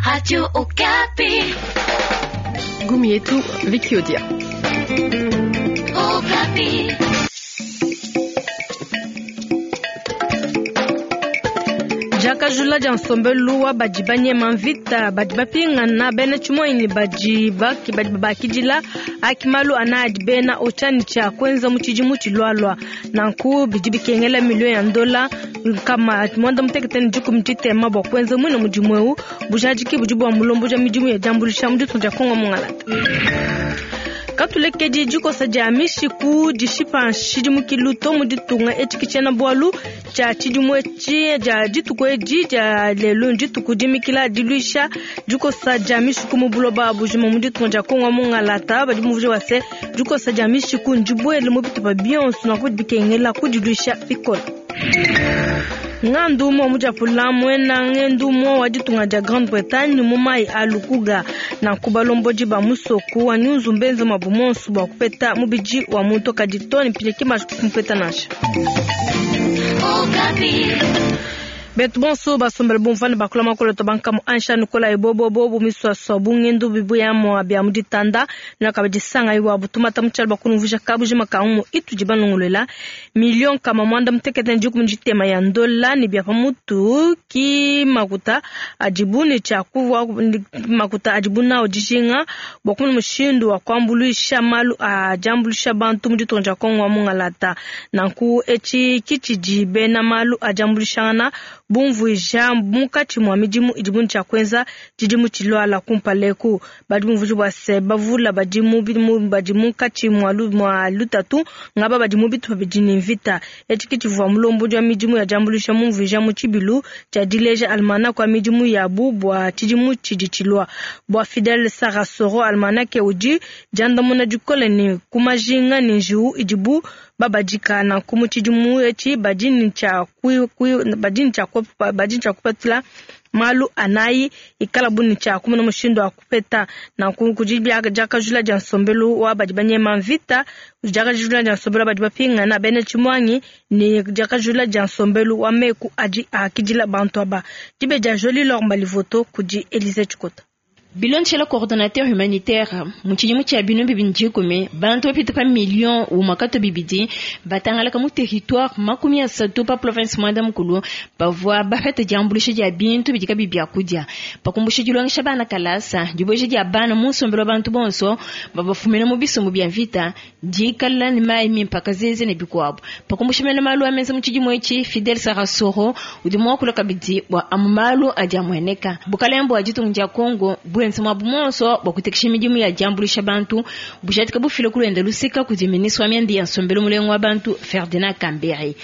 Radio Okapi. Gumi yetu Vicky Odia. Okapi. Diakajula dia nsombelu wa badi banyema mvita badi bapingana bena tshimuanyi badi baki badi babakidila aki malu ana adi bena otshani tshia kuenza mu tshidimu tshilualua. Nanku bidi bikengela miliyo ya ndola 160 bua kuenza muine mudimu eu. Bujadiki budi bua mulombodi wa midimu ya diambuluisha mu ditunga dia Kongo Mungalata. Katulekedi dikosa dia mishiku dishipa nshidimukilu to mu ditunga etshi kitshiena bualu tshia tshidimu etshi dia dituku edi dia lelu dituku dimikila diluisha dikosa dia mishiku mu buloba bujima mu ditunga dia Kongo Mungalata. Badi bumvuija bua se dikosa dia mishiku ndibuele mu bitupa bionso nanku bidi bikengela kudiluisha bikole. Ngandu umue mudiapula muena ngendu umue wa ditunga dia Grande-Bretagne mu mayi a Lukuga. Nanku balombodi ba musoko wa Nyunzu mbenze muabu monso bua kupeta mubidi wa muntu kadi to ne mpindieu ki mbanji kumupeta nansha. Betu bonso basombele bumvua ne bakula makolo to bankamu ansha nukola ebobobo bu miswaswa bu ngendu bibuyamua bia mu ditanda nakabidi sanga iwa butumata mu tshialo bakunumvuija kabujima ka umu itudi banongolola miliyo 161 ya ndola ne bia pamutu ki makuta adibu ne tshia kuvua makuta adibu nawo dijinga bua kumona mushindu wa kuambuluisha malu a diambuluisha bantu mu ditunga dia Kongo wa Mungalata. Nanku etshi kitshidi bena malu a diambuluishangana bumvuija munkatshi mua midimu idibu ne tshia kuenza tshidimu tshiluala kumpala eku. Badi bumvuija bua se bavula badi mu badi munkatshi mua mua lutatu ngaba badi mu bitupa bidi ne mvita. Etshi kitshivua mulombodi wa midimu ya diambuluisha mumvuija mu tshibilu tshia dileja almanach wa midimu yabu bua tshidimu tshidi tshilua. Bua Fidel Sarasoro, almanach udi diandamuna dikole ne ku majinga ne njiwu idibu babadika. Nanku mu tshidimu etshi badi ne tshia badi ne tshia badi ne tshia kupatula malu anayi ikala bu ne tshia kumona mushindu wa kupeta. Nanku kudi diakajula dia nsombelu wa badi banyema mvita, diakajula dia nsombelu wa badi bapingana bena tshimuangi ne diakajula dia nsombelu wa meku adi akidila bantu aba. Dibe dia Jolie Lor Mbalivoto kudi Elise Tshikota. Bilondeshela coordonnateur humanitaire mu tshidimu tshia 2010 bantu bapita pa million umwe bibidi batangalaka mu territoire 30 pa province 11 bavua bapeta diambuluisha dia bintu bidi kabi bia kudia pakumbusha dilongesha bana kalasa dibueja dia bana mu nsombelu wa bantu bonso babafumina mu bisumbu bia mvita dikala ne mayi mimpe kazeze ne bikuabu pakumbusha mena malu a menza mu tshidimu etshi Fidel Sarasoro udi muakula kabidi bua amu malu adi amueneka bukalenga bua ditunga dia Kongo buenza muabu monso bua kutekesha midimu ya diambuluisha bantu bujadika bufile kulwenda lusika kudi ministre wa mianda ya nsombelu mulenga wa bantu Ferdinand Kambere.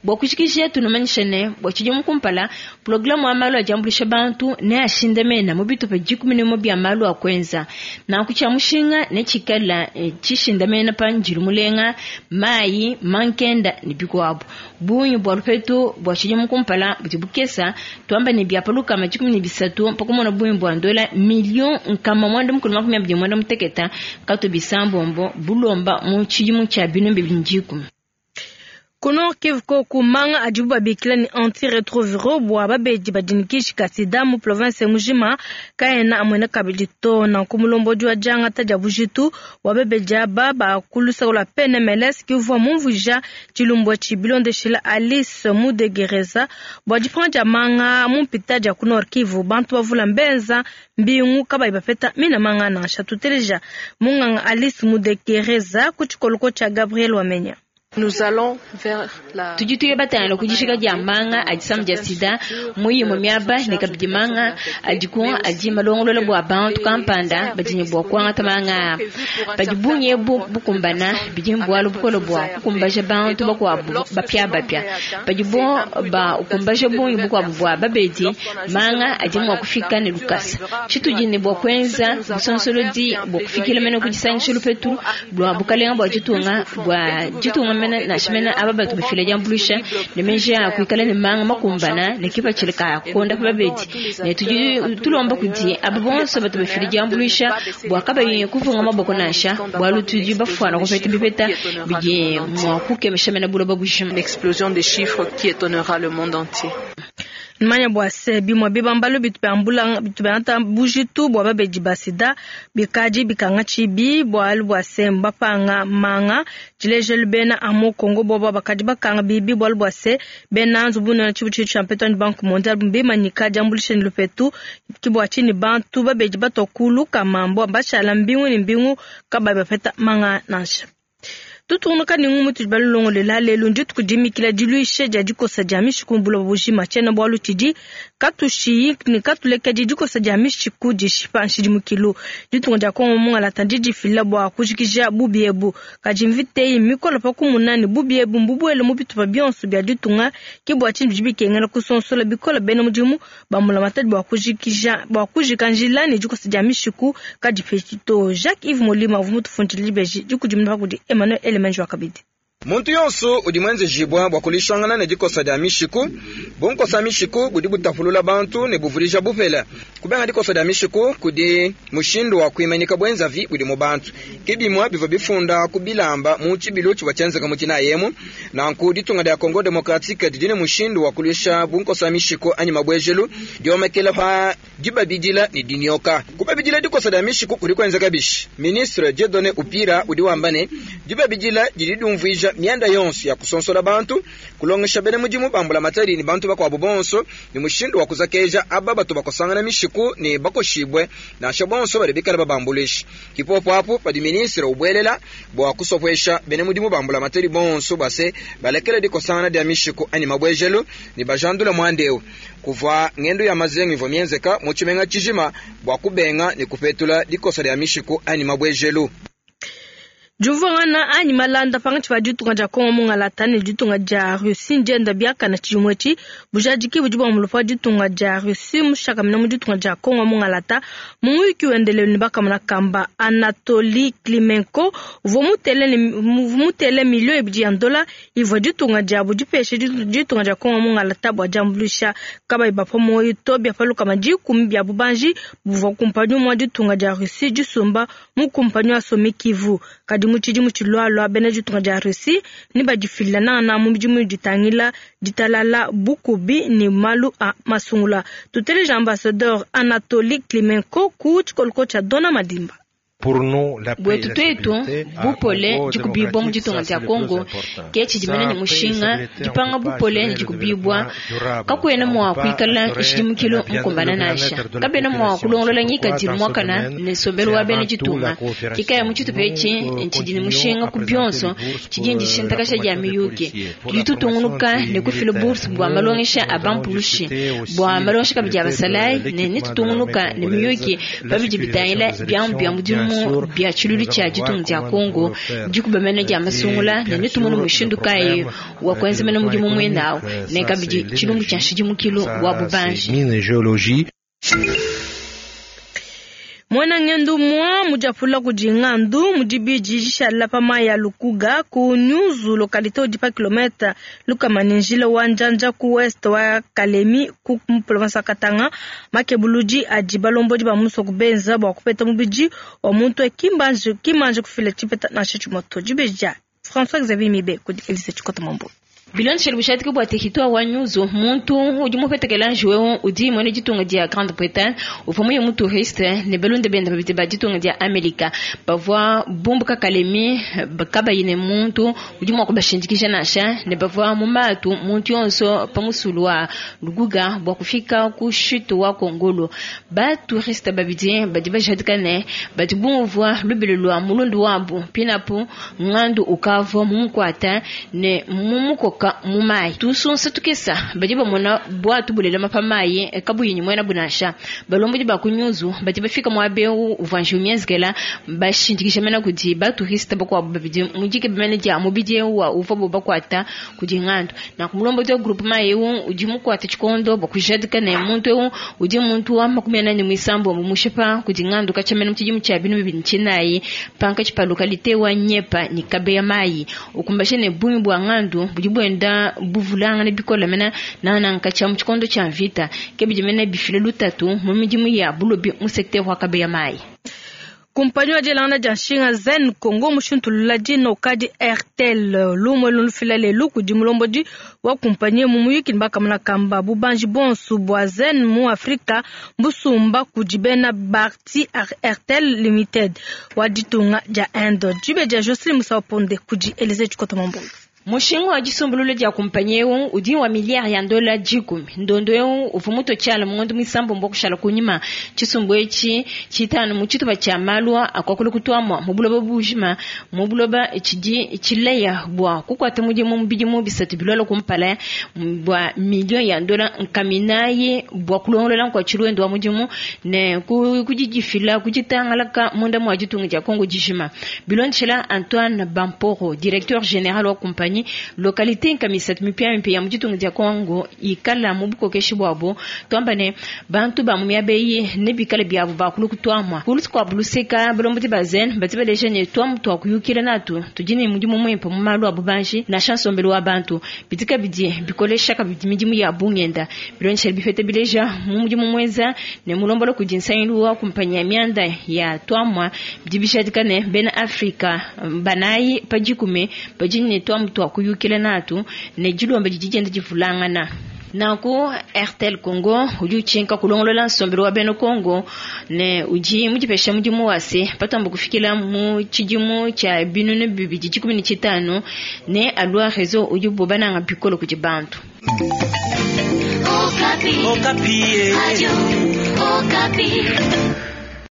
Bua kujikija tunumanyisha ne bua tshidimu kumpala programu wa malu a diambuluisha bantu ne ashindamena mu bitupa 11 bia malu a kuenza nanku tshia mushinga ne tshikala tshishindamena pa njilu mulenga mayi mankenda ne bikuabu bungi bua lupetu bua tshidimu kumpala budi bukesa tuamba ne bia paluka 13 pakumona bungi bua ndola million 186 bulomba mu tshidimu tshia 2010. Kuno Kivu koku manga adibu babikila ni antiretroviro bua babedi badinikisha ka sida mu province mujima kaena amwene kabidi to. Nanku mulombodi wa diangata dia bujitu wa babedi aba bakulusa lua PNMLS kivua mumvuija tshilumbu etshi bilondeshila Alice Mudegereza bua dipanga dia manga mu mpita dia ku Nord Kivu. Bantu bavula mbenza mbingu kabayi bapeta mina manga nansha. Tuteleja munganga Alice Mudegereza ku tshikoloko tshia Gabriel Wamenya. Nous allons vers la Tudi tuye batangila kudishika dia manga adi samu dia sida muyimu miaba ne kabidi manga adi ku adi malongolola bua bantu kampanda badi ne bua kuangata manga badi bungi ebu bukumbana bidi mbualu bukole bua kukumbaja bantu bakuabu bapia bapia badi bo ba ukumbaja bungi bukuabu bua babedi manga adi mua kufika ne lukasa tshitudi ne bua kuenza busonsolodi bua kufikila mene kudisangisha lupetu bua bukalenga bua ditunga bua ditunga mene nansha mene aba batu bafila diambuluisha ne meji a kuikala ne manga makumbana ne kipatshila ka konda pa babedi ne tudi tulomba kudi aba bonso batu bafila diambuluisha bua kabayi kuvunga maboko nansha bualu tudi bafuana kupeta bipeta bidi mua kukemesha mene buloba bujima. Une explosion des chiffres qui étonnera le monde entier. Manya bua se bimue bibambalu bitu biambula bitu biangata bujitu bua babedi ba sida bikadi bikanga tshibi bualu bua se mbapanga manga. Tshilejelu bena amu Kongo bobo bakadi bakanga bibi bualu bua se bena nzubu ne tshibutshilu tshia mpetu anyi Banque mondiale mbimanyika diambuluisha ne lupetu ke bua tshinyi bantu babedi batua kulu kamambo bashala mbingu ne mbingu kabayi bapeta manga nansha. Tutungunuka ne ngumu tudi balulongolela lelu ndituku dimikila diluisha dia dikosa dia mishiku mu buloba bujima. Tshiena-bualu tshidi katushiyi ne katulekedi dikosa dia mishiku dishipa nshidimukilu. Ditunga dia Kongo mungalata ndidifila bua kujikija bubi ebu, kadi mvita eyi mmikole pa kumuna ne bubi ebu mbubuele mu bitupa bionso bia ditunga. Ke bua tshinyi bidi bikengela kusonsola bikole bena mudimu ba mbulamatadi bua kujikija bua kujika njila ne dikosa dia mishiku kadipetshi to. Jacques Yves Molima uvua mutufundile dibeji dikudimuna pa kudi Emmanuel Elemenji wa kabidi. Muntu yonso udi muenzejibua bua kuluishangana ne dikosa dia mishiku. Bunkosa mishiku budi butapulula bantu ne buvudija bupele. Kubenga dikosa dia mishiku kudi mushindu wa kuimanyika buenzavi budi mu bantu. Ke bimue bivua bifunda ku bilamba mu tshibilu tshivua tshienzeka mu tshinayi emu. Nanku ditunga dia Congo democratique didi ne mushindu wa kuluisha bunkosa mishiku anyi mabuejelu diomekela pa dibabidila ne dinyoka. Kubabidila dikosa dia mishiku kudi kuenzeka bishi? Ministre Dieudonne Upira udi wamba ne, dibabidila didi diumvuija mianda yonso ya kusonsola bantu, kulongesha bena mudimu ba mbulamatadi ne bantu bakuabu bonso ne mushindu wa kuzakeja aba batu bakosangana mishiku ne bakoshibue, nansha bonso badi bikale babambuluisha. Ki popo apu padi ministre ubuelela bua kusopuesha bena mudimu ba mbulamatadi bonso bua se balekele dikosangana dia mishiku anyi mabuejelu ne bajandule muanda eu. Kuvua ngendu ya mazengu ivua mienzeka mu tshimenga tshijima bua kubenga ne kupetula dikosa dia mishiku anyi mabuejelu. Diumvuangana anyi malanda pankatshi pa ditunga dia Kongo mungalata ne ditunga dia Russie ndienda biakane tshidimu etshi. Bujadiki budi buambulupa ditunga dia Russie mushakamina mu ditunga dia Kongo mungalata. Mu muyuki wende lelu ne bakamona kamba Anatoly Klimenko uvua mutele ne mutele miliyo ibidi ya dola ivua ditunga diabu dipeshe ditunga dia Kongo mungalata bua diambuluisha kabayi bapua muoyo to bia pa 10 bia bubanji buvua kumpanyi umue wa ditunga dia Russie disumba mu kumpanyi wa Somikivu. Kadi mu tshidimu tshilualua bena ditunga dia Russie ne badifila nangananga mu midimu ditangila ditalala, bukubi ne malu a masungula. Tuteleja ambassadeur Anatoly Klimenko ku tshikoloko tshia Dona Madimba. Buetu tuetu bupole dikubibua mu ditunga dia Kongo ke tshidi mene ne mushinga. Dipanga bupole ne dikubibua kakuena mua kuikala nshidimukilu mukumbana nansha. Kabena mua kulongolola ngikadilu muakana ne nsombelu wa bena ditunga. Kikaya mu tshitupa etshi tshidi ne mushinga ku bionso tshidi ndishintakasha dia miyuki. Tudi tutungunuka ne kufila bourse bua malongesha a bampulushi, bua malongesha kabidi a basalayi, ne netutungunuka ne miyuki pabidi bitangila biamu bia mudimu bia tshilulu tshia ditunga dia Kongo, dikuba mene dia masungula, ne netumone mushindu kayi wa kuenza mene mudimu muenawu, ne kabidi tshilumbu tshia nshidimukilu wa bubanji. Muena ngendu mwa mudiapula kudi ngandu mudibidi dishala pa mayi ya Lukuga ku Nyunzu localité udi pa kilomètre lukama ne njila wa Njanja ku ouest wa Kalemi ku province wa Katanga. Makebuludi adi balombodi ba musoko benza bua kupeta mubidi wa muntu kimbanji kufila tshipeta nansha tshimue to. Dibeji dia François Xavier Mibe kudi Elise Tshikota Mambo. Bilondeshele bushadiki bua territoire wa Nyunzu, muntu udi mupetekela njiwu udi muena ditunga dia Grande Bretagne uvua muye mu touriste ne balunda bende babidi ba ditunga dia Amerika bavua bumbuka Kalemi kabayi ne muntu udi mua kubashindikija nansha, ne bavua mu matu muntu yonso pa musulu wa Luguga bua kufika ku chute wa Kongolo. Ba touriste babidi badi bajadika ne badi bumvua lubilo lua mulundu wabu pinapu ngandu ukavua mumukuata ne mumukoka mu mayi. Tusunsa tukesa badi bamona bwatu bulelema pa mayi kabuyi ni muena bunasha. Balombodi ba ku Nyunzu badi bafika muaba eu uvua njiwu mienzekela bashindikisha mena kudi ba touriste bakuabu babidi mudike bimene dia mubidi eu wa uvua bo bakuata kudi ngandu. Na kumulombodi wa groupement eu udi mukuata tshikondo bua kujadika ne muntu eu udi muntu wa 43 mumushipa kudi ngandu kachamena mu tshidimu tshia binu bibidi tshinayi pankatshi pa localité wa Nyepa ni Kabeya mayi. Ukumbashe ne bungi bua ngandu budi buenda buvulangana bikole mena nana nkatsha mu tshikondo tshia mvita ke bidi mene bifile lutatu mu midimu ya bulobi mu secteur wa Kabeya mayi. Kumpanyi wa dielangana dia nshinga Zen Congo mushintulula dina ukadi Airtel. Lumu elu lufila lelu kudi mulombodi wa kumpanyi mu muyuki ne bakamona kamba bubanji bonso bua Zen mu Afrika mbusumba kudi bena Bharti Airtel Limited wa ditunga dia Inde. Dibe dia Jocelyn Musaponde kudi Elise Chikota Mambulu. Mushinga wa disumbulula dia kumpanyi eu udi wa miliyari ya dola 10. Ndondo eu uvua mutue tshiala mu ngondo muisambombo kushala kunyima. Tshisumbu etshi tshitanu mu tshitupa tshia malu akuakula kutuamua mu buloba bujima mu buloba tshidi tshileya bua kukuata mudimu mu bidimu bisatu bilualua kumpala bua miliyo ya dola nkaminayi bua kulongolola nkua tshiluendu wa mudimu ne kudidifila kuditangalaka munda mua ditunga dia Kongo dijima. Bilondeshela Antoine Bamporo, directeur général wa kumpanyi, localité nkamisatu mipia ya muditunga dia Kongo ikala mu bukokeshi bwabo twamba ne bantu ba mu miaba eyi ne bikale biabo bakulu kutuamua kulu kwa luseka balombodi ba zen badi baleja ne tuamu tua kuyukila natu tudi ne mudimu muimpe mu malu a bubanji na nsombelu wa bantu bidi kabidi bikolesha kabidi midimu ya bungenda bilondeshela bipeta bileja mu mudimu muenza ne mulombola kudi nsangilu wa kumpanyi ya mianda ya tuamua bidi bishadika ne bena Afrika banayi pa dikumi badi ne tuamu tua kuyukila natu ne dilomba didi dienda divulangana. Nanku Airtel Congo udi utshinka kulongolola nsombelu wa bena Congo ne udi mudipesha mudimu wase patomba kufikila mu tshidimu tshia 2015 ne alua réseau udi bobananga bikolo kudi bantu. Okapi. Okapi. Radio Okapi.